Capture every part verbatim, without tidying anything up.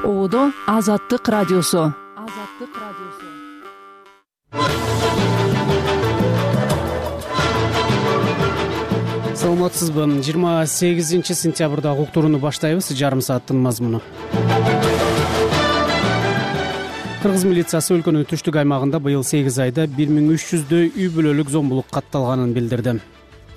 Оодо Азаттык радиосу. Азаттык радиосу. Саламатсызбы? жыйырма сегизинчи сентябрда уктурууну баштайбыз. Жарым сааттын мазмуну. Кыргыз милициясы өлкөнүн түштүк аймагында быйыл сегиз айда бир миң үч жүздөй үй бүлөлүк зомбулук катталганын билдирди.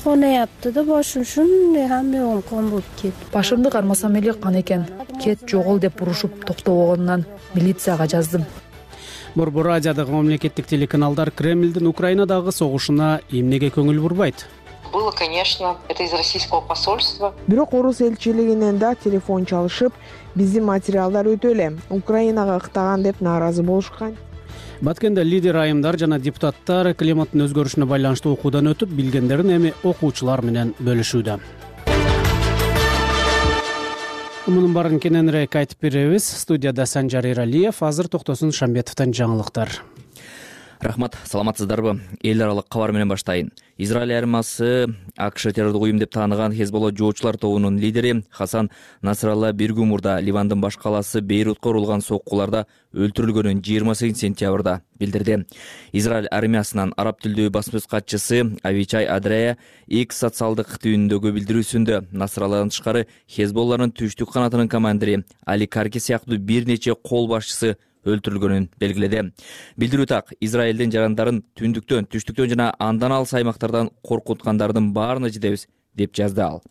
Конаяпты да башым шундай хамеон кон болуп кетти. Башымды кармасам эле кан экен. Кет жогол деп урушуп токтобогонунан милицияга жаздым. Борбор Азиядагы мамлекеттик телеканалдар Кремлдин Украинадагы согушуна эмнеге көңүл бурбайт? Было, конечно, это из российского посольства. Бирок орус элчилигинен да телефон чалышып, биздин материалдар өтө эле Украинага ыктаган деп нааразы болушкан. Баткенде лидер айымдар жана депутаттар климаттын өзгөрүшүнө байланыштуу окуудан өтүп, билгендерин эми окуучулар менен бөлүшүүдө. Мунун баарын кененирээк айтып беребиз. Студияда Санжар Эралиев, азыр Токтосун Шамбетовдон жаңылыктар. Рахмат, саламатсыздарбы? Эл аралык кабар менен баштайын. Израиль армиясы АКШ террордук уюм деп тааныган Хезболла жоочулар тобунун лидери Хасан Насралла бир күн мурда Ливандын баш калаасы Бейрутка урулган соккуларда өлтүрүлгөнүн жыйырма сегизинчи сентябрда билдирди. Израиль армиясынын араб тилдүү басма катчысы Авичай Адрея X социалдык түбүндөгү билдирүүсүндө Насралладан тышкары Хезболланын түштүк канатынын командири Али Карки сыяктуу бир нече кол башчысы өлтүрүлгөнүн белгиледи. Билдирүү так, Израилдин жарандарын түндүктөн, түштүктөн жана андан алыс аймактардан коркуткандардын баарына жетебиз деп жазды ал.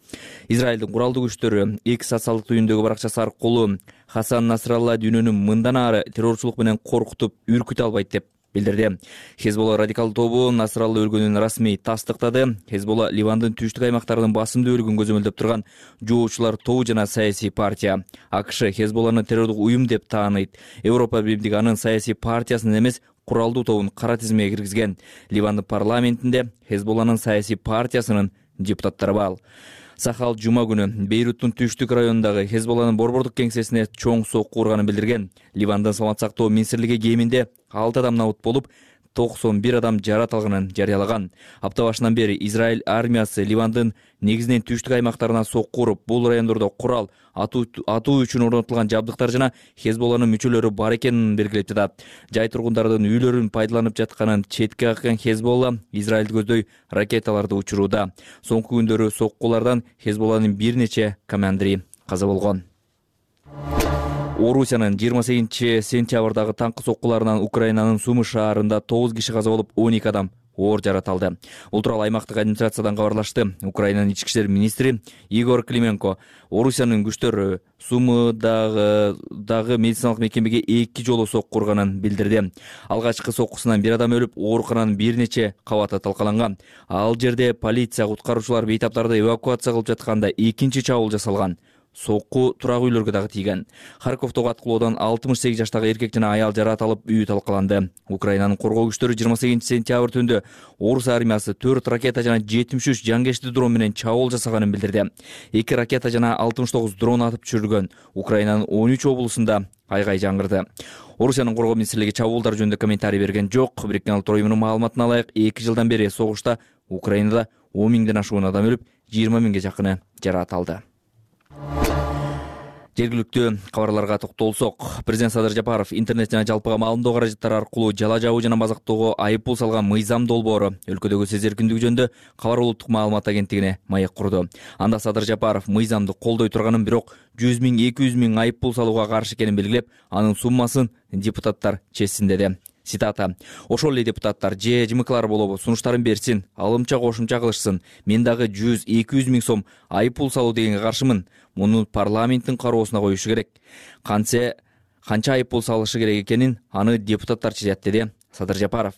Израилдин куралдуу күчтөрү X социалдык түбүндөгү баракчасы аркылуу Хасан Насралла дүйнөнү мындан ары террорчулук менен коркутуп, үркүтө албайт деп билдирди. Хезболла радикалдуу тобу Насралла өлгөнүн расмий тастыктады. Хезболла Ливандын түштүк аймактарынын басымдуу өлгөн көзөмөлдөп турган жоочулар тобу жана саясий партия. АКШ Хезболланы террордук уюм деп тааныйт. Европа Биримдиги анын саясий партиясын эмес, куралдуу тобун кара тизмеге киргизген. Ливандын парламентинде Хезболланын саясий партиясынын депутаттары бар. Сахал жума күнү Бейруттун түштүк районундагы Хезболланын борбордук кеңсесине чоң сокку урганын билдирген. Ливандын саламат сактоо министрлиги кеминде алты адам набыт болуп, токсон бир адам жарат алганын жарыялаган. Апта башынан бери Израиль армиясы Ливандын негизинен түштүк аймактарына сокку уруп, бул райондордо курал атуу үчүн орнотулган жабдыктар жана Хезболланын мүчөлөрү бар экенин белгилеп жатат. Жай тургундардын үйлөрүн пайдаланып жатканын четке каккан Хезболла Израилди көздөй ракеталарды учурууда. Соңку күндөрү соккулардан Хезболланын бир нече командири каза болгон. Орусиянын жыйырма сегизинчи сентябрдагы таңкы соккуларынан Украинанын Сумы шаарында тогуз киши каза болуп, он эки адам оор жарат алды. Бул тууралуу аймактык администрациядан кабарлашты. Украинанын ички иштер министри Игор Клименко Орусиянын күчтөрү Сумыдагы дагы медициналык мекемеге эки жолу сокку урганын билдирди. Алгачкы соккусунан бир адам өлүп, оорукананын бир нече кабаты талкаланган. Ал жерде полиция, куткаруучулар бейтаптарды эвакуация кылып жатканда экинчи чабуул жасалган. Сокку турак үйлөргө дагы тийген. Харьковдогу аткылоодан алтымыш сегиз жаштагы эркек жана аял жарат алып, үйү талкаланды. Украинанын коргоо күчтөрү жыйырма сегизинчи сентябрь түндө Орус армиясы төрт ракета жана жетимиш үч жангечти дрон менен чабуул жасаганын билдирди. эки ракета жана алтымыш тогуз дрон атып түшүрүлгөн. Украинанын он үч облусунда айгай жаңгырды. Орусиянын коргоо министрлиги чабуулдар жөнүндө комментарий берген жок. Бириккен Улуттар уюмунун маалыматына ылайык, эки жылдан бери согушта Украинада он миңден ашуун адам өлүп, жыйырма миңге жакыны жарат алды. Жергиликтүү кабарларга токтолсок, президент Садыр Жапаров интернет жана жалпыга маалымдоо каражаттары аркылуу жала жабуу жана мазактоого айыппул салган Мыйзам долбоору өлкөдөгү сөз эркиндиги жөнүндө Кабар улуттук маалымат агенттигине маек курду. Анда Садыр Жапаров мыйзамды колдой турганын, бирок жүз миң эки жүз миң айыппул салууга каршы экенин белгилеп, анын суммасын депутаттар чечсин деди. Цитата: "Ошол эле депутаттар же жымыклар болобу сунуштарын берсин, алымча кошумча кылышсын. Мен дагы жүз эки жүз миң сом айыппул салуу дегенге каршымын. Муну парламенттин кароосуна коюшу керек. Канча канча айыппул салышы керек экенин аны депутаттар чечет", деди Садыр Жапаров.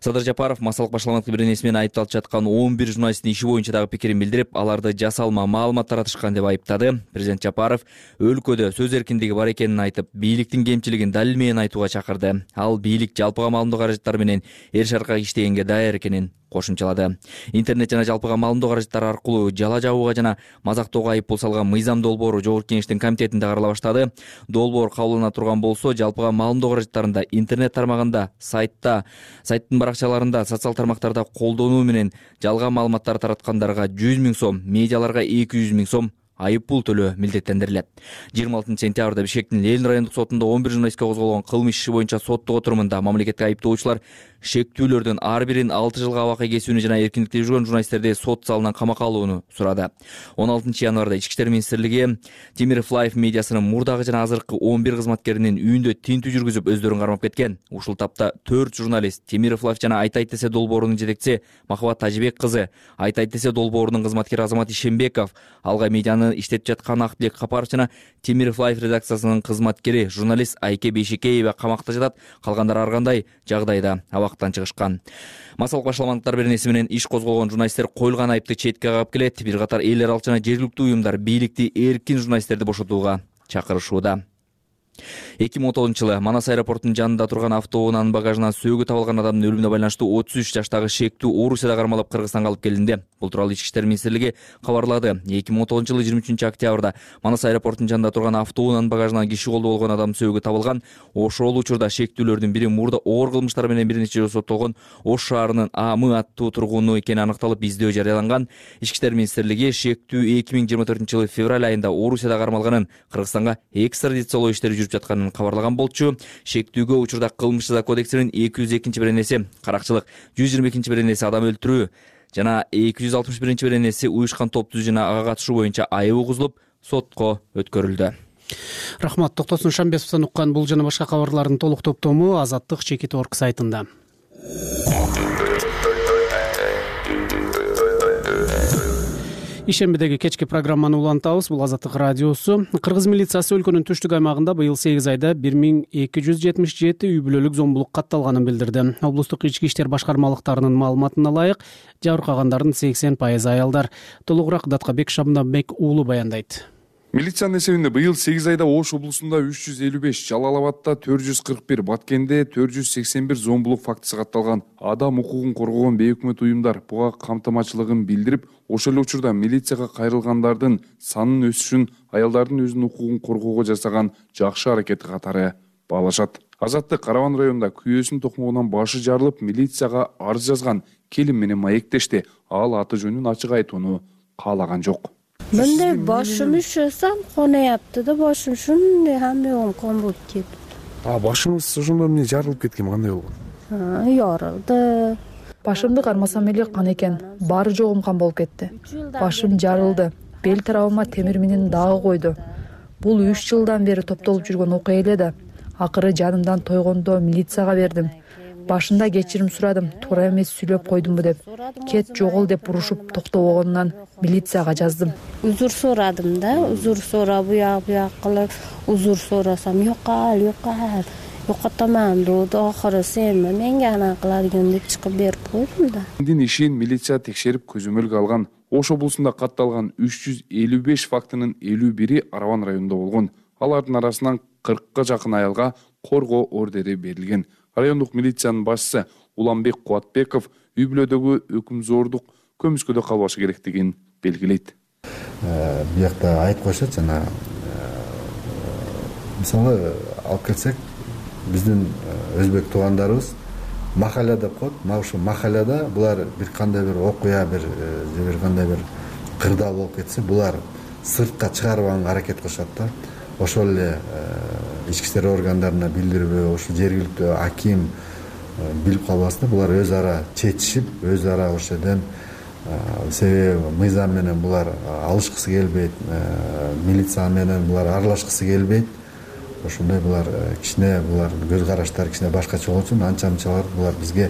Садыр Жапаров массалык башаламаттык бирнеси менен айыпталып жаткан он бир журналисттин иши боюнча дагы пикирин билдирип, аларды жасалма маалымат таратышкан деп айыптады. Президент Жапаров өлкөдө сөз эркиндиги бар экенин айтып, бийликтин кемчилигин далил менен айтууга чакырды. Ал бийлик жалпыга маалымдоо каражаттары менен эр шаркка иштегенге даяр экенин кошумчалады. Интернет жана жалпыга маалымдоо каражаттары аркылуу жала жабууга жана мазактоого айыппул салган Мыйзам долбоору Жогорку Кеңештин комитетинде карала баштады. Долбоор кабылына турган болсо, жалпыга маалымдоо каражаттарында, интернет тармагында, сайтта, сайттын баракчаларында, социал тармактарда колдонуу менен жалган маалыматтар тараткандарга жүз миң сом, медиаларга эки жүз миң сом айып пул төлөө милдеттендирилет. жыйырма алтынчы сентябрда Бишкектин Ленин райондук сотунда он бир журналистке козголгон кылмыш иши боюнча соттук отурумунда мамлекеттик айыптоочулар шектүүлөрдүн ар бирин алты жылга абакка кесүүнү жана эркиндикте жүргөн журналисттерди сот залынан камакка алууну сурады. он алтынчы январда Ички иштер министрлиги Темиров Лайф медиасынын мурдагы жана азыркы он бир кызматкеринин үйүндө тинтүү жүргүзүп өздөрүн кармап кеткен. Ушул тапта төрт журналист Темиров Лайф жана Айтайт десе долбоорунун жетекчиси Махабат Тажибек кызы, Айтайт десе долбоорунун кызматкери Азамат Ишембеков, Алгай медианы иштетип жаткан Актилек Капаров жана Темиров Лайф редакциясынын кызматкери журналист Айке Бейшекеева камакта жатат, калгандары ар кандай жагдайда абактан чыгышкан. Массалык башаламандыктар беренеси менен иш козголгон журналисттер коюлган айыпты четке кагып келет. Бир катар эл аралык жана жергиликтүү уюмдар бийликти эркин журналисттерди бошотууга чакырышууда. эки миң он тогузунчу жылы Манас аэропортунун жанында турган автоунаанын багажынан сөөгү табылган адамдын өлүмүнө байланыштуу отуз үч жаштагы шектүү Орусияда кармалып Кыргызстанга алып келинди. Бул тууралуу Ички иштер министрлиги кабарлады. эки миң он тогузунчу жылы жыйырма үчүнчү октябрда Манас аэропортунун жанында турган автоунаанын багажынан киши колдо болгон адамдын сөөгү табылган. Ошол учурда шектүүлөрдүн бири мурда оор кылмыштар менен бир нече жолу соттолгон Ош шаарынын Амы аттуу тургуну экени аныкталып, издөө жарыяланган. Ички иштер министрлиги шектүү эки миң жыйырма төртүнчү жылы февраль айында Орусияда кармалганын, Кыргызстанга экстрадициялоо иштери жүрүп жатканын кабарлаган болчу. Шектүүгө учурда кылмыш жаза кодексинин эки жүз экинчи беренеси каракчылык, жүз жыйырма экинчи беренеси адам өлтүрүү жана эки жүз алтымыш биринчи беренеси уюшкан топ түзүү жана ага катышуу боюнча айып угузулуп, сотко өткөрүлдү. Рахмат. Токтосун Шамбесовдон уккан бул жана башка кабарлардын толук топтому Азаттык чекит орг сайтында. Ишембидеги кечки программаны улантабыз. Бул Азаттык радиосу. Кыргыз милициясы өлкөнүн түштүк аймагында быйыл сегиз айда бир миң эки жүз жетимиш жети үй бүлөлүк зомбулук катталганын билдирди. Облустук ички иштер башкармалыктарынын маалыматына ылайык, жабыркагандардын сексен пайызы аялдар. Толугураак Даткабек Шабнабек уулу баяндайт. Милициянын эсебинде быйыл сегиз айда Ош облусунда үч жүз элүү беш, Жалал Абадта төрт жүз кырк бир, Баткенде төрт жүз сексен бир зомбулук фактысы катталган. Адам укугун коргогон бейөкмөт уюмдар буга камтамачылыгын билдирип, ошол эле учурда милицияга кайрылгандардын санынын өсүшүн аялдардын өзүнүн укугун коргоого жасаган жакшы аракети катары баалашат. Азаттык Караван районунда күйөөсүнүн токмогунан башы жарылып, милицияга арыз жазган келин менен маектешти. Ал аты жөнүн ачык айтууну каалаган жок. Мындай башым üşüsem konayaptı da başım şunday hamyogum konulup ketip. А башыңыз ошондо эмне жарылып кеткен, кандай болгон? Ярылды. Башымды кармасам эле кан экен. Баары жогум кан болуп кетти. Башым жарылды. Бел тарабыма темир менен дагы койду. Бул үч жылдан бери топтолуп жүргөн окуя эле да. Акыры жанымдан тойгондо милицияга бердим. Башында кечирим сурадым, туура эмес сүйлөп койдумбу деп. Кет жогол деп урушуп токтобогонунан милицияга жаздым. Узур сорадым да, узур сора буяк буяк кылып, узур сорасам жокал, жокал. Жокотоман деді, ақыры сен менге ана кыладыгын деп чыгып берип койдум да. Эндин ишин милиция текшерип көзөмөлгө алган. Ош облусунда катталган үч жүз элүү беш фактынын элүү бири Араван районунда болгон. Алардын арасынан кыркка жакын аялга коргоо ордери берилген. Райондук милициянын башчысы Уланбек Кубатбеков үй бүлөдөгү өкүмзордук көмүскөдө калбашы керектигин белгилейт. Биякта айтып коюшат жана мисалы алып келсек, биздин өзбек туугандарыбыз махалля деп коет. Мына ушул махалляда булар бир кандай бир окуя, бир же бир кандай бир кырдаал болуп кетсе, булар сыртка чыгарбаганга аракет кылышат да. Ошол эле ички иштер органдарына билдирбөө, ошол жергиликтүү аким билип калбасын, булар өз ара чечишип, өз ара ошол жерден себеби мыйзам менен булар алышкысы келбейт, милиция менен булар аралашкысы келбейт. Ошондой булар кичине булар көз караштары кичине башкача болгон үчүн анча-мынчалар булар бизге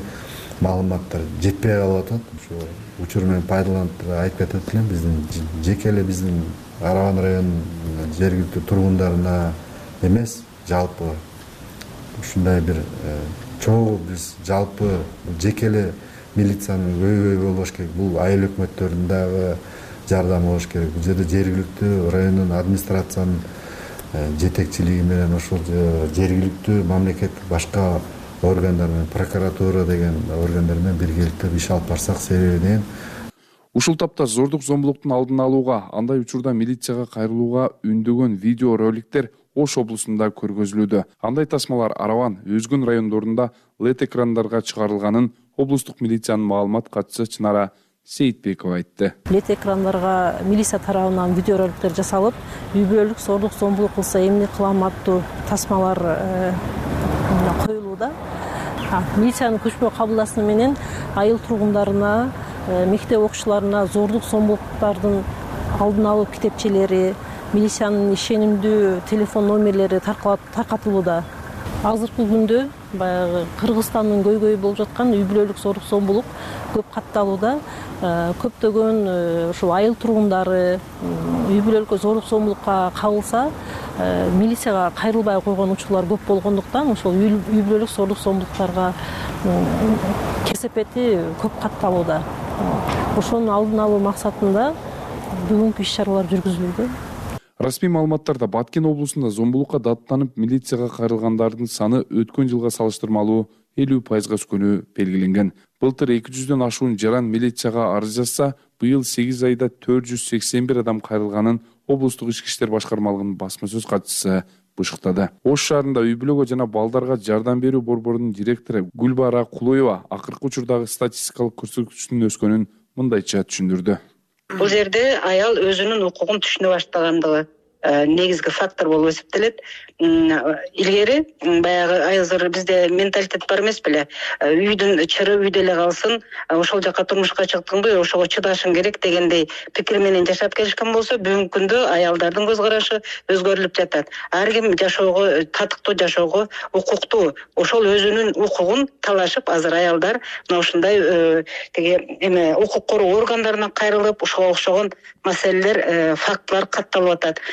маалыматтар жетпей калып атат. Ошо учур менен пайдаланып айтып кетет элем, биздин жеке эле биздин Араван районунун жергиликтүү тургундарына эмес, жалпы ушундай бир чогуу биз жалпы жеке эле милициянын көйгөй болбош керек. Бул айыл өкмөттөрүнүн дагы жардамы болуш керек. Бул жерде жергиликтүү райондун администрациянын жетекчилиги менен ошол жергиликтүү мамлекеттик башка органдар менен прокуратура деген органдар менен биргеликте иш алып барсак себеби деген. Ушул тапта зордук зомбулуктун алдын алууга, андай учурда милицияга кайрылууга үндөгөн видео роликтер Ош облусунда көргөзүлүүдө. Андай тасмалар Араван, өзгөн райондорунда лед экрандарга чыгарылганын облустук милициянын маалымат катчысы Чынара Сейитбекова айтты. Лет экрандарга милиция тарабынан видеороликтер жасалып, үй бүлөлүк зордук зомбулук кылса эмне кылам аттуу тасмалар коюлууда. Милициянын көчмө кабылдашуу менен айыл тургундарына, мектеп окуучуларына зордук зомбулуктардын алдын алуу китепчелери, милициянын ишенимдүү телефон номерлери таркатылууда. Азыркы күндө баягы Кыргызстандын көйгөйү болуп жаткан үй бүлөлүк зордук зомбулук көп катталууда. Көптөгөн ушул айыл тургундары үй бүлөлүк зордук зомбулукка кабылса, милицияга кайрылбай койгон учурлар көп болгондуктан ошол үй бүлөлүк зордук зомбулуктарга кесепети көп катталууда. Ошонун алдын алуу максатында бүгүнкү иш-чаралар жүргүзүлүүдө. Расмий маалыматтарда Баткен облусунда зомбулукка даттанып милицияга кайрылгандардын саны өткөн жылга салыштырмалуу элүү пайызга өскөнү белгиленген. Былтыр эки жүздөн ашуун жаран милицияга арыз жазса, быйыл сегиз айда төрт жүз сексен бир адам кайрылганын облустук ички иштер башкармалыгынын басма сөз катчысы бышыктады. Ош шаарында үй бүлөгө жана балдарга жардам берүү борборунун директору Гүлбара Кулоева акыркы учурдагы статистикалык көрсөткүчтүн өскөнүн мындайча түшүндүрдү. Бул жерде аял өзүнүн укугун түшүнө баштагандыгы негизги фактор болуп эсептелет. Илгери баягы азыр бизде менталитет бар эмес беле? Үйдүн чыры үйдө эле калсын, ошол жака турмушка чыктыңбы, ошого чыдашың керек дегендей пикир менен жашап келишкен болсо, бүгүнкү күндө аялдардын көз карашы өзгөрүлүп жатат. Ар ким жашоого, татыктуу жашоого укуктуу. Ошол өзүнүн укугун талашып, азыр аялдар мына ушундай теге эме укук короо органдарына кайрылып, ошого окшогон маселелер, фактылар катталып атат.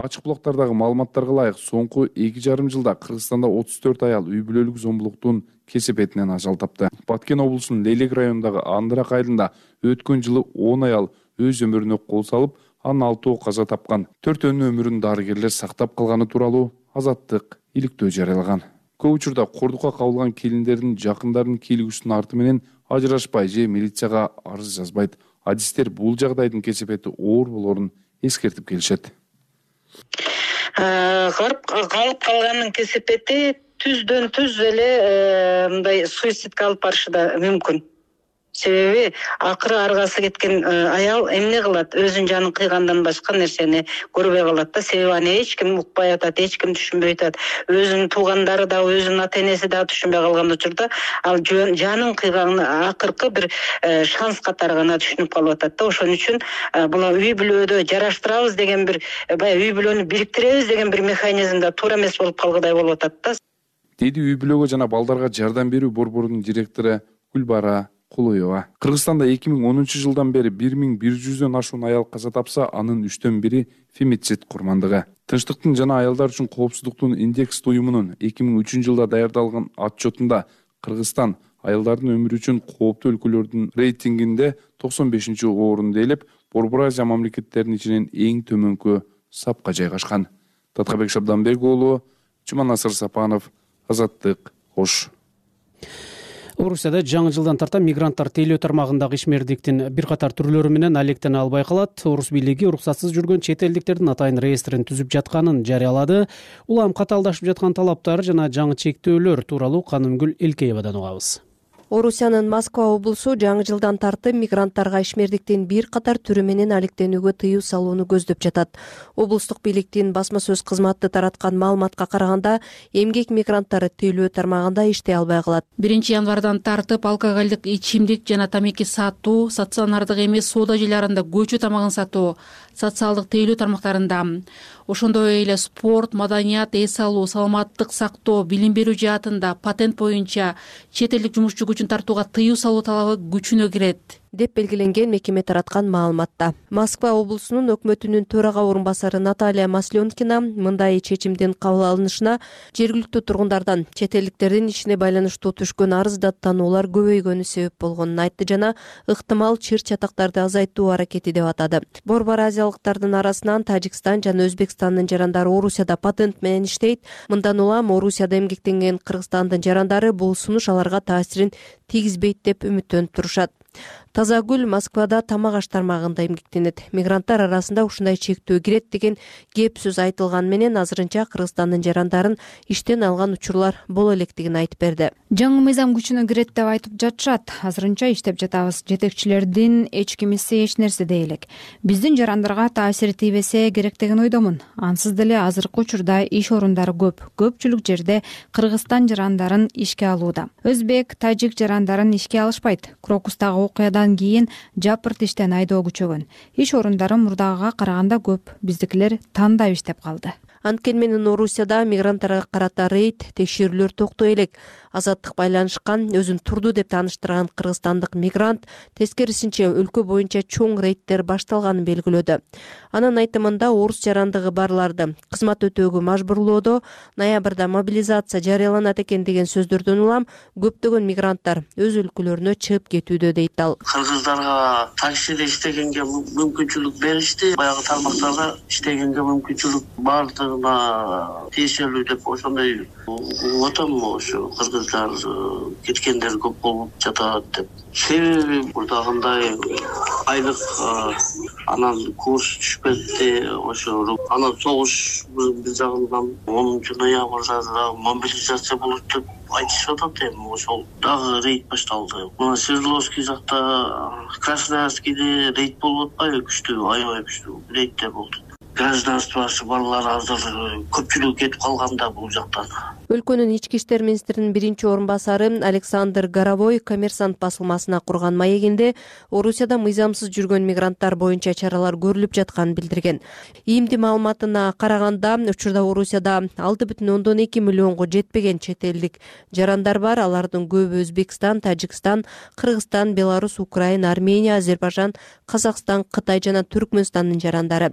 Ачык булактардагы маалыматтарга ылайык, соңку эки жарым жылда Кыргызстанда отуз төрт аял үй бүлөлүк зомбулуктун кесепетинен ажал тапты. Баткен облусунун Лелек районундагы Андырак айылында өткөн жылы он аял өз өмүрүнө кол салып, анын алтоо каза тапкан. Төртөөнүн өмүрүн дарыгерлер сактап калганы тууралуу Азаттык иликтөө жарыялаган. Көп учурда кордукка кабылган келиндердин жакындарынын кийлигүүсүнүн арты менен ажырашпай же милицияга арыз жазбайт. Адистер бул жагдайдын кесепети оор болоорун эскертип келишет. Калып калганын кесепети түздөн түз эле мындай суицидке алып барышы да мүмкүн. Себеби акыры аргасы кеткен аял эмне кылат? Өзүнүн жанын кыйгандан башка нерсени көрбөй калат да. Себеби аны эч ким укпай атат, эч ким түшүнбөй атат. Өзүнүн туугандары да, өзүнүн ата-энеси да түшүнбөй калган учурда ал жанын кыйганын акыркы бир шанс катары гана түшүнүп калып атат да. Ошон үчүн бул үй бүлөдө жараштырабыз деген бир, баягы үй бүлөнү бириктиребиз деген бир механизмда туура эмес болуп калгыдай болуп атат да. Деди үй бүлөгө жана балдарга жардам берүү борборунун директору Гүлбара Кулоева. Кыргызстанда эки миң онунчу жылдан бери бир миң бир жүздөн ашуун аял каза тапса, анын үчтөн бири фемицид курмандыгы. Тынчтыктын жана аялдар үчүн коопсуздуктун индекс уюмунун эки миң үчүнчү жылда даярдалган отчетунда Кыргызстан аялдардын өмүрү үчүн кооптуу өлкөлөрдүн рейтингинде токсон бешинчи орунда элеп, Борбор Азия мамлекеттеринин ичинен эң төмөнкү сапка жайгашкан. Таткабек Шабданбек уулу, Жуманасыр Сапанов, Азаттык, Ош. Орусияда жаңы жылдан тарта мигранттар тейлөө тармагындагы ишмердиктин бир катар түрлөрү менен алектене албай калат. Орус бийлиги уруксатсыз жүргөн чет элдиктердин атайын реестрин түзүп жатканын жарыялады. Улам катаалдашып жаткан талаптар жана жаңы чектөөлөр тууралуу Канымгүл Элкеевадан угабыз. Орусиянын Москва облусу жаңы жылдан тартып мигранттарга ишмердиктин бир катар түрү менен алектенүүгө тыюу салууну көздөп жатат. Облустук бийликтин басма сөз кызматы тараткан маалыматка караганда, эмгек мигранттары тейлөө тармагында иштей албай калат. биринчи январдан тартып алкоголдук ичимдик жана тамеки сатуу, стационардык эмес соода жайларында көчө тамагын сатуу, социалдык тейлөө тармактарында, ошондой эле спорт, маданият, эс алуу, саламаттык сактоо, билим берүү жаатында патент боюнча чет элдик жумушчу күчүн тартууга тыюу салуу талабы күчүнө кирет деп белгиленген мекеме тараткан маалыматта. Москва облусунун өкмөтүнүн төрага орун басары Наталья Масленкина мындай чечимдин кабыл алынышына жергиликтүү тургундардан чет элдиктердин ишине байланыштуу түшкөн арыз даттануулар көбөйгөнү себеп болгонун айтты жана ыктымал чыр чатактарды азайтуу аракети деп атады. Борбор азиялыктардын арасынан Тажикстан жана Өзбекстандын жарандары Орусияда патент менен иштейт. Мындан улам Орусияда эмгектенген Кыргызстандын жарандары бул сунуш аларга таасирин тийгизбейт деп үмүттөнүп турушат. Таза гүл Москвада тамак аш тармагында эмгектенет. Мигранттар арасында ушундай чектөө кирет деген кеп сөз айтылган менен азырынча Кыргызстандын жарандарын иштен алган учурлар боло электигин айтып берди. Жаңы мыйзам күчүнө кирет деп айтып жатышат. Азырынча иштеп жатабыз. Жетекчилердин эч кимиси эч нерсе дей элек. Биздин жарандарга таасири тийбесе керек деген ойдомун. Ансыз деле азыркы учурда иш орундары көп. Көпчүлүк жерде Кыргызстан жарандарын ишке алууда. Өзбек, тажик жарандарын ишке алышпайт. Крокустагы окуядан кийин жапырт иштен айдоо күчөгөн. Иш орундары мурдагыга караганда көп. Биздикилер тандап иштеп калды. Анткени менен Орусияда мигранттарга карата рейд, текшерүүлөр токтой элек. Азаттык байланышкан, өзүн турду деп тааныштырган кыргызстандык мигрант тескерисинче өлкө боюнча чоң рейдтер башталганын белгилөөдө. Анын айтымында орус жарандыгы барларды кызмат өтөөгө мажбурлоодо ноябрда мобилизация жарыяланат экен деген сөздөрдөн улам көптөгөн мигранттар өз өлкөлөрүнө чыгып кетүүдө дейт ал. Кыргыздарга таксиде иштегенге мүмкүнчүлүк беришти, баягы тармактарга иштегенге мүмкүнчүлүк бардыгына тиешелүү деп ошондой отом ошо кыргыздар кеткендер көп болуп жатат деп. Себеби мурдагындай айлык анан курс түшүп кетти, ошо анан согуш биз жагынан онунчу ноябрда мобилизация болот деп айтышып атат. Эми ошол дагы рейд башталды. Мына Свердловский жакта, Красноярскийде рейд болуп атпайбы? Күчтүү, аябай күчтүү рейдтер болду. Гражданствосы балдар азыр көпчүлүк кетип калганда бул жактан. Өлкөнүн ички иштер министринин биринчи орун басары Александр Горовой Коммерсант басылмасына курган маегинде Орусияда мыйзамсыз жүргөн мигранттар боюнча чаралар көрүлүп жатканын билдирген. ИИМдин маалыматына караганда, учурда Орусияда алты бүтүн ондон эки миллионго жетпеген чет элдик жарандар бар. Алардын көбү Өзбекстан, Тажикстан, Кыргызстан, Беларусь, Украина, Армения, Азербайжан, Казакстан, Кытай жана Түркмөнстандын жарандары.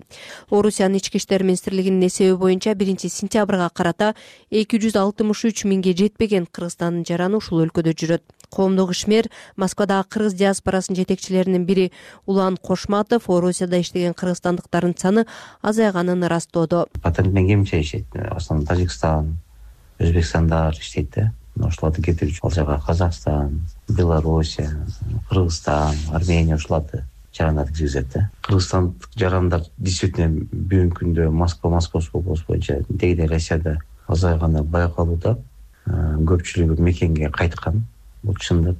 Орусиянын ички иштер министрлигинин эсеби боюнча биринчи сентябрга карата эки жүз алтымыш үч миңге жетпеген Кыргызстандын жараны ушул өлкөдө жүрөт. Коомдук ишмер Москвадагы кыргыз диаспорасынын жетекчилеринин бири Улан Кошматов Орусияда иштеген кыргызстандыктардын саны азайганын ырастоодо. Патентмен кемче иштейт. Основном Тажикстан, Өзбекстандар иштейт да. Ошолорду кетирип ал жака Казакстан, Белоруссия, Кыргызстан, Армения ушуларды жарандар киргизет да. Кыргызстандык жарандар действительно бүгүнкү күндө Москва, Московский область боюнча дегиде Россияда азайганы байкалууда. Көпчүлүгү мекенге кайткан. Бул чындык.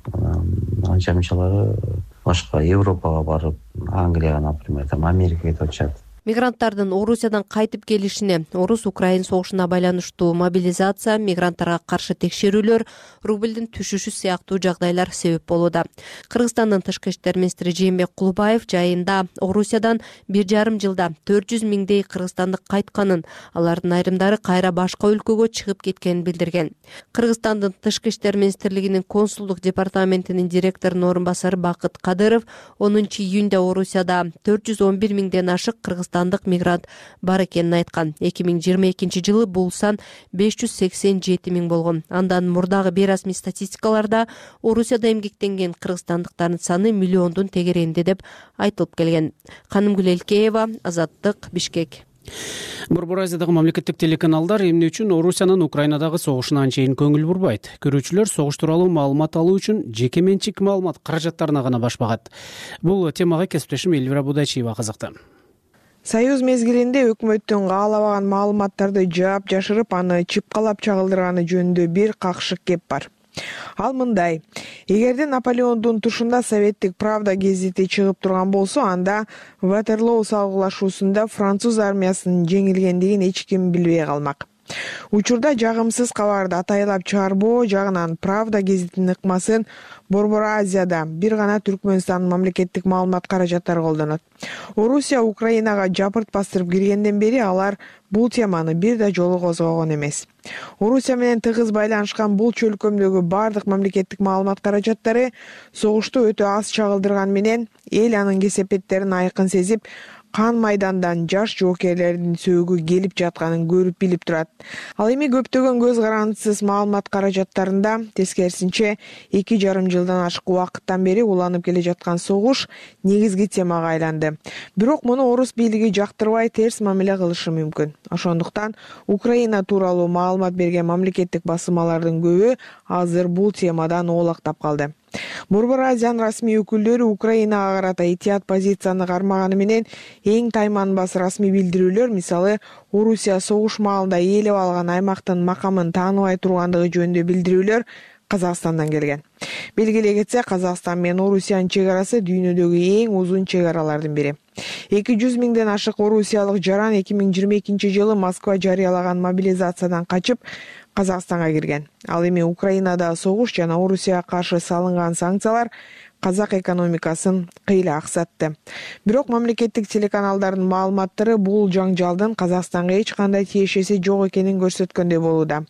Анча мынчалары башка Европага барып, Англияга, например, там Америкага кетип атышат. Мигранттардын Орусиядан кайтып келишине Орус-Украин согушуна байланыштуу мобилизация, мигранттарга каршы текшерүүлөр, рубльдин түшүшү сыяктуу жагдайлар себеп болууда. Кыргызстандын тышкы иштер министри Жээнбек Кулубаев жайында Орусиядан бир жарым жылда төрт жүз миңдей кыргызстандык кайтканын, алардын айрымдары кайра башка өлкөгө чыгып кеткенин билдирген. Кыргызстандын тышкы иштер министрлигинин консулдук департаментинин директорунун орун басары Бакыт Кадыров онунчу июнда Орусияда төрт жүз он бир миңден ашык кыргызстандык мигрант бар экенин айткан. эки миң жыйырма экинчи жылы бул сан беш жүз сексен жети миң болгон. Андан мурдагы бир расмий статистикаларда Орусияда эмгектенген кыргызстандыктардын саны миллиондун тегерегинде деп айтылып келген. Канымгүл Элкеева, Азаттык, Бишкек. Борбор Азиядагы мамлекеттик телеканалдар эмне үчүн Орусиянын Украинадагы согушуна анчейин көңүл бурбайт? Көрүүчүлөр согуш тууралуу маалымат алуу үчүн жеке менчик маалымат каражаттарына гана башпагат. Бул темага кесиптешим Элвира Будайчиева кызыкты. Союз мезгилинде өкмөттүн каалабаган маалыматтарды жаап жашырып, аны чыпкалап чагылдырганы жөнүндө бир какшык кеп бар. Ал мындай: эгерде Наполеондун тушунда советтик Правда гезити чыгып турган болсо, анда Ватерлоо салгылашуусунда француз армиясынын жеңилгендигин эч ким билбей калмак. Учурда жагымсыз кабарды атайлап чыгарбоо жагынан Правда гезитинин ыкмасын Борбор Азияда бир гана Түркмөнстандын мамлекеттик маалымат каражаттары колдонот. Орусия Украинага жапырт бастырып киргенден бери алар бул теманы бир да жолу козгогон эмес. Орусия менен тыгыз байланышкан бул чөлкөмдөгү бардык мамлекеттик маалымат каражаттары согушту өтө аз чагылдырган менен эл анын кесепеттерин айкын сезип, кан майдандан жаш жоокерлердин сөөгү келип жатканын көрүп билип турат. Ал эми көптөгөн көз карандысыз маалымат каражаттарында тескерисинче эки жарым жылдан ашык убакыттан бери уланып келе жаткан согуш негизги темага айланды. Бирок муну орус бийлиги жактырбай терс мамиле кылышы мүмкүн. Ошондуктан Украина тууралуу маалымат берген мамлекеттик басылмалардын көбү азыр бул темадан оолактап калды. Борбор Азиянын расмий өкүлдөрү Украинага карата этият позицияны кармаганы менен эң тайманбас расмий билдирүүлөр, мисалы, Орусия согуш маалында ээлеп алган аймактын макамын тааныбай тургандыгы жөнүндө билдирүүлөр Казакстандан келген. Белгилей кетсе, Казакстан менен Орусиянын чек арасы дүйнөдөгү эң узун чек аралардын бири. эки жүз миңден ашык орусиялык жаран эки миң жыйырма экинчи жылы Москва жарыялаган мобилизациядан качып Казакстанга кирген. Ал эми Украинада согуш жана Орусияга каршы салынган санкциялар казак экономикасын кыйла аксатты. Бирок мамлекеттик телеканалдардын маалыматтары бул жаңжалдын Казакстанга эч кандай тиешеси жок экенин көрсөткөндөй болууда.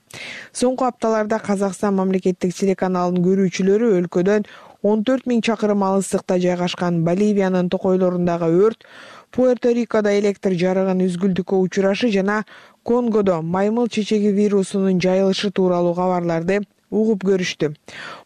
Соңку апталарда Казакстан мамлекеттик телеканалынын көрүүчүлөрү өлкөдөн он төрт миң чакырым алыстыкта жайгашкан Боливиянын токойлорундагы өрт, Пуэрто-Рикодо электр жарыгын үзгүлтүккө учурашы жана Конгодо маймыл чечеги вирусунун жайылышы тууралуу кабарларды угуп көрүштү.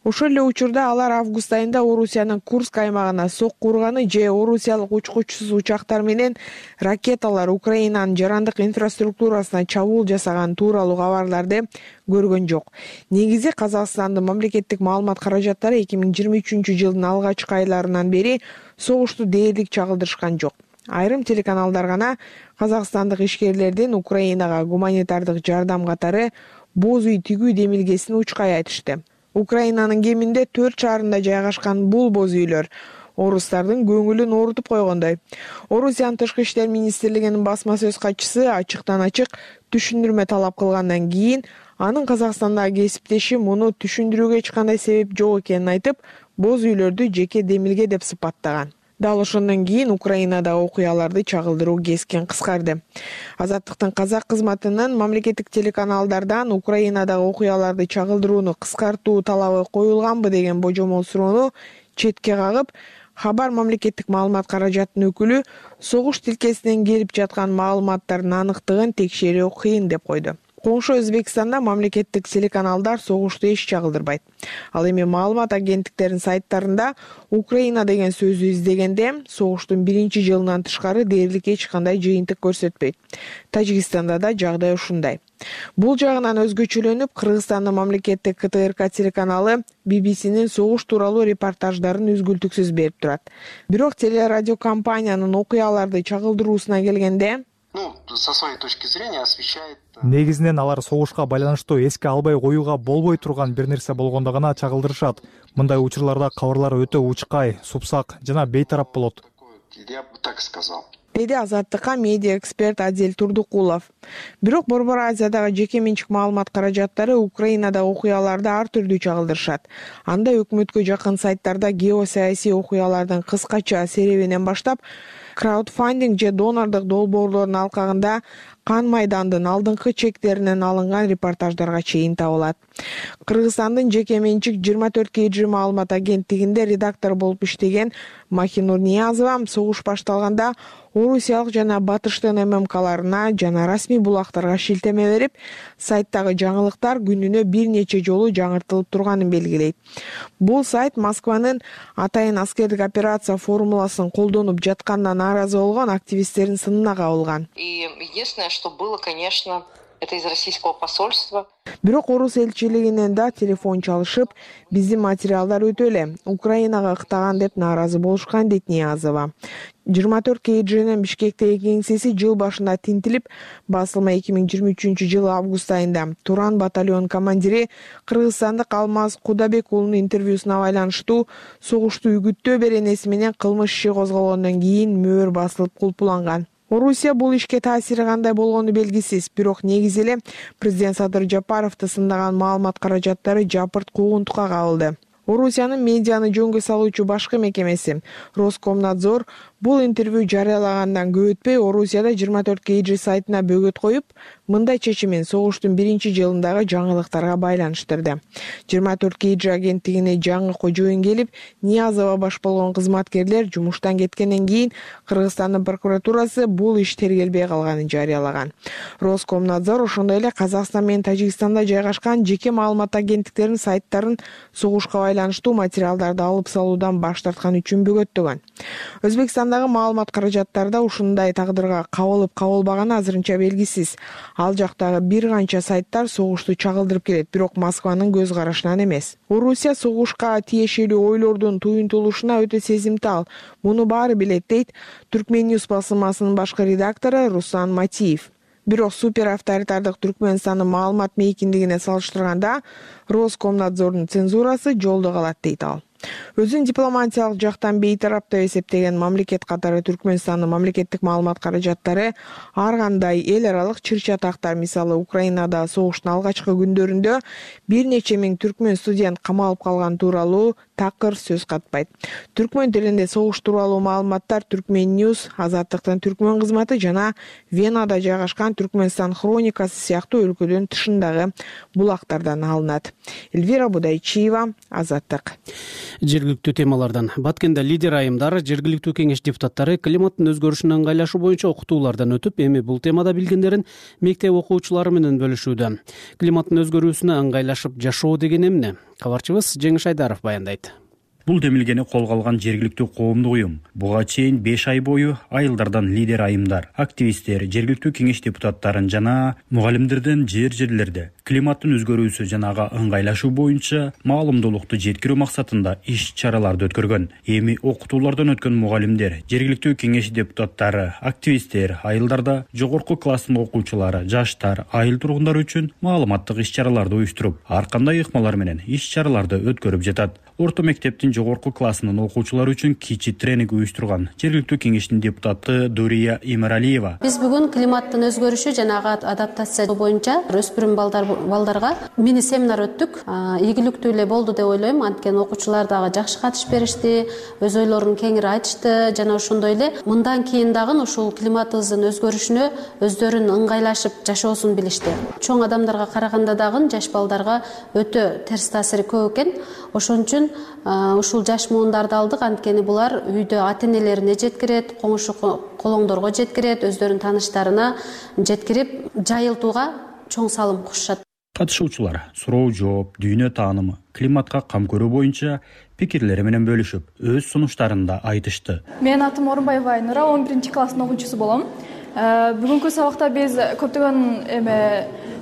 Ошол эле учурда алар август айында Орусиянын Курск аймагына сокку урганы же орусиялык учкучсуз учактар менен ракеталар Украинанын жарандык инфраструктурасына чабуул жасаган тууралуу кабарларды көргөн жок. Негизи Казакстандын мамлекеттик маалымат каражаттары эки миң жыйырма үчүнчү жылдын алгачкы айларынан бери согушту дээрлик чагылдырышкан жок. Айрым телеканалдар гана казакстандык ишкерлердин Украинага гуманитардык жардам катары боз үй тигүү демилгесин учкай айтышты. Украинанын кеминде төрт шаарында жайгашкан бул боз үйлөр орустардын көңүлүн оорутуп койгондой. Орусиянын тышкы иштер министрлигинин басма сөз катчысы ачыктан ачык түшүндүрмө талап кылгандан кийин анын Казакстандагы кесиптеши муну түшүндүрүүгө эч кандай себеп жок экенин айтып, боз үйлөрдү жеке демилге деп сыпаттаган. Дал ошондон кийин Украинадагы окуяларды чагылдыруу кескен кыскарды. Азаттыктын казак кызматынын мамлекеттик телеканалдардан Украинадагы окуяларды чагылдырууну кыскартуу талабы коюлганбы деген божомол суроону четке кагып, Хабар мамлекеттик маалымат каражатынын өкүлү согуш тилкесинен келип жаткан маалыматтардын аныктыгын текшерүү кыйын деп койду. Коңшу Өзбекстанда мамлекеттик телеканалдар согушту эч чагылдырбайт. Ал эми маалымат агенттиктеринин сайттарында Украина деген сөздү издегенде согуштун биринчи жылынан тышкары дээрлик эч кандай жыйынтык көрсөтпөйт. Тажикстанда да жагдай ушундай. Бул жагынан өзгөчөлөнүп, Кыргызстандын мамлекеттик К Т Р К телеканалы Би Би Синин согуш тууралуу репортаждарын үзгүлтүксүз берип турат. Бирок телерадиокомпаниянын окуяларды чагылдыруусуна келгенде, ну, со своей точки зрения освещает. Негизинен алар согушка байланыштуу эске албай коюуга болбой турган бир нерсе болгондо гана чагылдырышат. Мындай учурларда кабарлар өтө учкай, супсак жана бейтарап болот. Я бы так сказал. Деди Азаттыкка медиа эксперт Адил Турдукулов. Бирок Борбор Азиядагы жеке менчик маалымат каражаттары Украинадагы окуяларды ар түрдүү чагылдырышат. Анда өкмөткө жакын сайттарда геосаясий окуялардын кыскача серебинен баштап краудфандинг же донорлук долбоорлордун алкагында кан майдандын алдыңкы чектеринен алынган репортаждарга чейин табылат. Кыргызстандын жеке менчик жыйырма төрт кей джи маалымат агенттигинде редактор болуп иштеген Махинур Ниязова согуш башталганда орусиялык жана батыштын эм эм каларына жана расмий булактарга шилтеме берип, сайттагы жаңылыктар күнүнө бир нече жолу жаңыртылып турганын белгилейт. Бул сайт Москванын атайын аскердик операция формуласын колдонуп жатканына нааразы болгон активисттердин сынына кабылган. И единственное, что было, конечно, это из российского посольства. Бирок орус элчилигинен да телефон чалышып, биздин материалдар өтө эле Украинага ыктаган деп нааразы болушкан, дейт Ниязова. жыйырма төрт кей джинин Бишкектеги кеңсеси жыл башында тинтилип, басылма эки миң жыйырма үчүнчү жылы август айында Туран батальон командири кыргызстандык Алмаз Кудабек уулунун интервьюсуна байланыштуу согушту үгүттөө беренеси менен кылмыш иши козголгондон кийин мөөр басылып кулпуланган. Орусия бул ишке таасири кандай болгону белгисиз, бирок негизи эле президент Садыр Жапаровду сындаган маалымат каражаттары жапырт куугунтукка кабылды. Орусиянын медианы жөнгө салуучу башкы мекемеси Роскомнадзор бул интервью жарыялагандан көп өтпөй Орусияда жыйырма төрт кей джи сайтына бөгөт коюп, мындай чечимин согуштун биринчи жылындагы жаңылыктарга байланыштырды. жыйырма төрт кей джи агенттигине жаңы кожоюн келип, Ниязова баш болгон кызматкерлер жумуштан кеткенден кийин Кыргызстандын прокуратурасы бул иш тергелбей калганын жарыялаган. Роскомнадзор ошондой эле Казакстан менен Тажикстанда жайгашкан жеке маалымат агенттиктеринин сайттарын согушка байланыштуу материалдарды алып салуудан баш тарткан үчүн бөгөттөгөн. Өзбекстанда Кыргызстандагы маалымат каражаттары да ушундай тагдырга кабылып кабылбаганы азырынча белгисиз. Ал жактагы бир канча сайттар согушту чагылдырып келет, бирок Москванын көз карашынан эмес. Орусия согушка тиешелүү ойлордун туюнтулушуна өтө сезимтал. Муну баары билет, дейт Turkmenews басылмасынын башкы редактору Руслан Матиев. Бирок супер авторитардык Түркмөнстандын маалымат мейкиндигине салыштырганда Роскомнадзордун цензурасы жолдо калат, дейт ал. Өзүн дипломатиялык жактан бейтарап деп эсептеген мамлекет катары Түркмөнстандын мамлекеттик маалымат каражаттары ар кандай эл аралык чыр-чатактар, мисалы Украинада согуштун алгачкы күндөрүндө бир нече миң түркмөн студент камалып калган тууралуу такыр сөз катпайт. Түркмөн тилинде согуш тууралуу маалыматтар Turkmenews, Азаттыктын түркмөн кызматы жана Венада жайгашкан Түркмөнстан хроникасы сыяктуу өлкөдөн тышындагы булактардан алынат. Эльвира Будайчиева, Азаттык. Жергиликтүү темалардан Баткенде лидер айымдар, жергиликтүү кеңеш депутаттары климаттын өзгөрүшүнө ыңгайлашуу боюнча окутуулардан өтүп, эми бул темада билгендерин мектеп окуучулары менен бөлүшүүдө. Климаттын өзгөрүүсүнө ыңгайлашып жашоо деген эмне? Кабарчыбыз Жеңиш Айдаров баяндайт. Бул демилгени колго алган жергиликтүү коомдук уюм буга чейин беш ай бою айылдардан лидер айымдар, активисттер, жергиликтүү кеңеш депутаттарын жана мугалимдерден жер-жерлерде климаттын өзгөрүүсү жана ага ыңгайлашуу боюнча маалымдуулукту жеткирүү максатында иш-чараларды өткөргөн. Эми окутуулардан өткөн мугалимдер, жергиликтүү кеңеш депутаттары, активисттер айылдарда жогорку класстын окуучулары, жаштар, айыл тургундары үчүн маалыматтык иш-чараларды уюштуруп, ар кандай ыкмалар менен иш-чараларды өткөрүп жатат. Орто мектептин жогорку классынын окуучулары үчүн кичи тренинг уюштурган жергиликтүү кеңештин депутаты Дурия Имаралиева. Биз бүгүн климаттын өзгөрүшү жана ага адаптация боюнча өспүрүм балдарга мини семинар өттүк. Ийгиликтүү эле болду деп ойлойм. Анткени окуучулар дагы жакшы катышып беришти, өз ойлорун кеңири айтышты жана ошондой эле мындан кийин дагы ушул климатыбыздын өзгөрүшүнө өздөрүн ыңгайлашып жашоосун билишти. Чоң адамдарга караганда дагы жаш балдарга өтө терс таасири көп экен. Ошон үчүн ушул жаш муундарды алдык, анткени булар үйдө ата-энелерине жеткирет, коңшу колоңдорго жеткирет, өздөрүнүн тааныштарына жеткирип, жайылтууга чоң салым кошушат. Катышуучулар суроо жооп, дүйнө таанымы, климатка кам көрүү боюнча пикирлери менен бөлүшүп, өз сунуштарын да айтышты. Менин атым Орунбаева Айнура, он биринчи класстын окуучусу болом. Бүгүнкү сабакта биз көптөгөн эме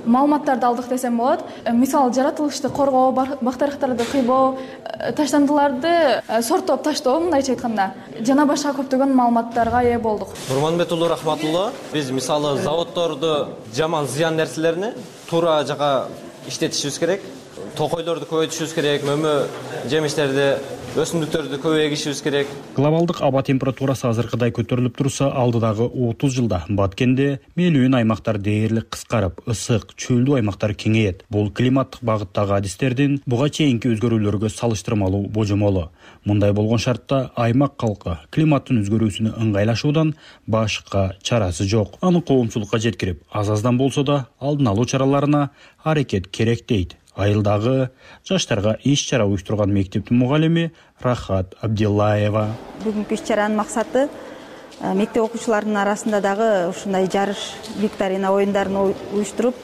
маалыматтарды алдык десем болот. Мисалы, жаратылышты коргоо, бактарыктарды кыйбоо, таштандыларды сорттоп таштоо, мындайча айтканда, жана башка көптөгөн маалыматтарга ээ болдук. Нурманбет уулу Рахматулла, биз мисалы заводдорду жаман зыян нерселерини туура жака иштетишибиз керек. Токойлорду көбөйтүшүбүз керек, мөмө жемиштерди, өсүмдүктөрдү көп эгишибиз керек. Глобалдык аба температурасы азыркыдай көтөрүлүп турса, алдыдагы отуз жылда Баткенде мелүүн аймактар дээрлик кыскарып, ысык, чөлдүү аймактар кеңейет. Бул климаттык багыттагы адистердин буга чейинки өзгөрүүлөргө салыштырмалуу божомолу. Мындай болгон шартта аймак калкы климаттын өзгөрүүсүнө ыңгайлашуудан башка чарасы жок. Аны коомчулукка жеткирип, аз-аздан болсо да алдын алуу чараларына аракет керек, дейт айылдагы жаштарга иш-чара уюштурган мектептин мугалими Рахат Абдиллаева. Бүгүнкү иш-чаранын максаты мектеп окуучуларынын арасында дагы ушундай жарыш, викторина оюндарын уюштуруп,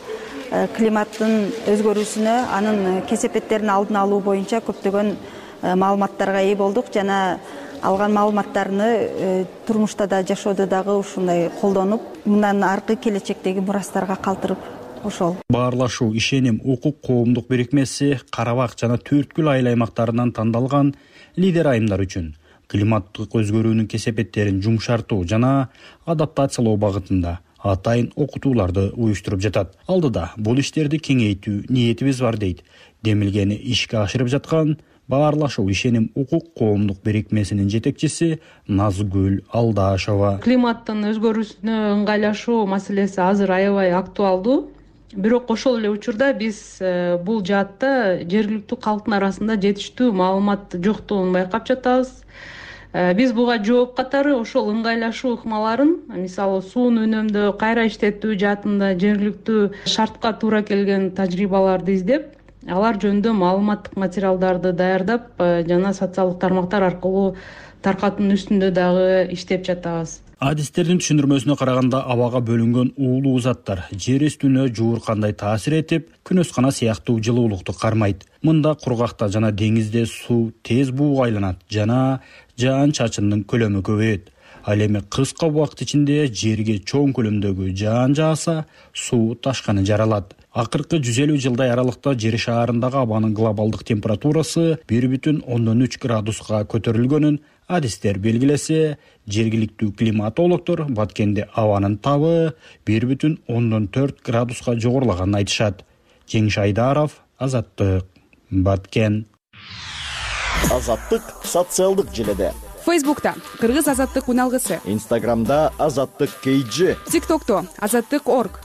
климаттын өзгөрүүсүнө, анын кесепеттерин алдын алуу боюнча көптөгөн маалыматтарга ээ болдук жана алган маалыматтарны турмушта да, жашоодо дагы ушундай колдонуп, мындан аркы келечектеги мурастарга калтырып ошол. Баарлашуу, ишеним, укук коомдук бирикмеси Карабак жана Төрткүл айыл аймактарынан тандалган лидер айымдар үчүн климаттык өзгөрүүнүн кесепеттерин жумшартуу жана адаптациялоо багытында атайын окутууларды уюштуруп жатат. Алдыда бул иштерди кеңейтүү ниетибиз бар, дейт демилгени ишке ашырып жаткан Баарлашуу, ишеним, укук коомдук бирикмесинин жетекчиси Назгүл Алдашова. Климаттын өзгөрүүсүнө ыңгайлашуу маселеси азыр аябай актуалдуу. Бирок ошол эле учурда биз бул жаатта жергиликтүү калктын арасында жетиштүү маалымат жоктугун байкап жатабыз. Биз буга жооп катары ошол ыңгайлашуу ыкмаларын, мисалы суун үнөмдөө, кайра иштетүү жаатында жергиликтүү шартка туура келген тажрыйбаларды издеп, алар жөнүндө маалыматтык материалдарды даярдап жана социалдык тармактар аркылуу таркатуунун үстүндө дагы иштеп жатабыз. Адистердин түшүндүрмөсүнө караганда абага бөлүнгөн уулуу заттар жер үстүнө жууркандай таасир этип, күнөскана сыяктуу жылуулукту кармайт. Мында кургакта жана деңизде суу тез бууга айланат жана жаан чачындын көлөмү көбөйөт. Ал эми кыска убакыт ичинде жерге чоң көлөмдөгү жаан жааса, суу ташканы жаралат. Акыркы жүз элүү жылдай аралыкта жер шаарындагы абанын глобалдык температурасы бир бүтүн ондон үч градуска көтөрүлгөнүн адистер белгилесе, жергиликтүү климатологдор Баткенде абанын табы бир бүтүн ондон төрт градуска жогорулаганын айтышат. Жеңиш Айдаров, Азаттык, Баткен. Азаттык социалдык желеде. Фейсбукта Кыргыз азаттык үналгысы. Инстаграмда Азаттык кей джи. ТикТокто Азаттык орг.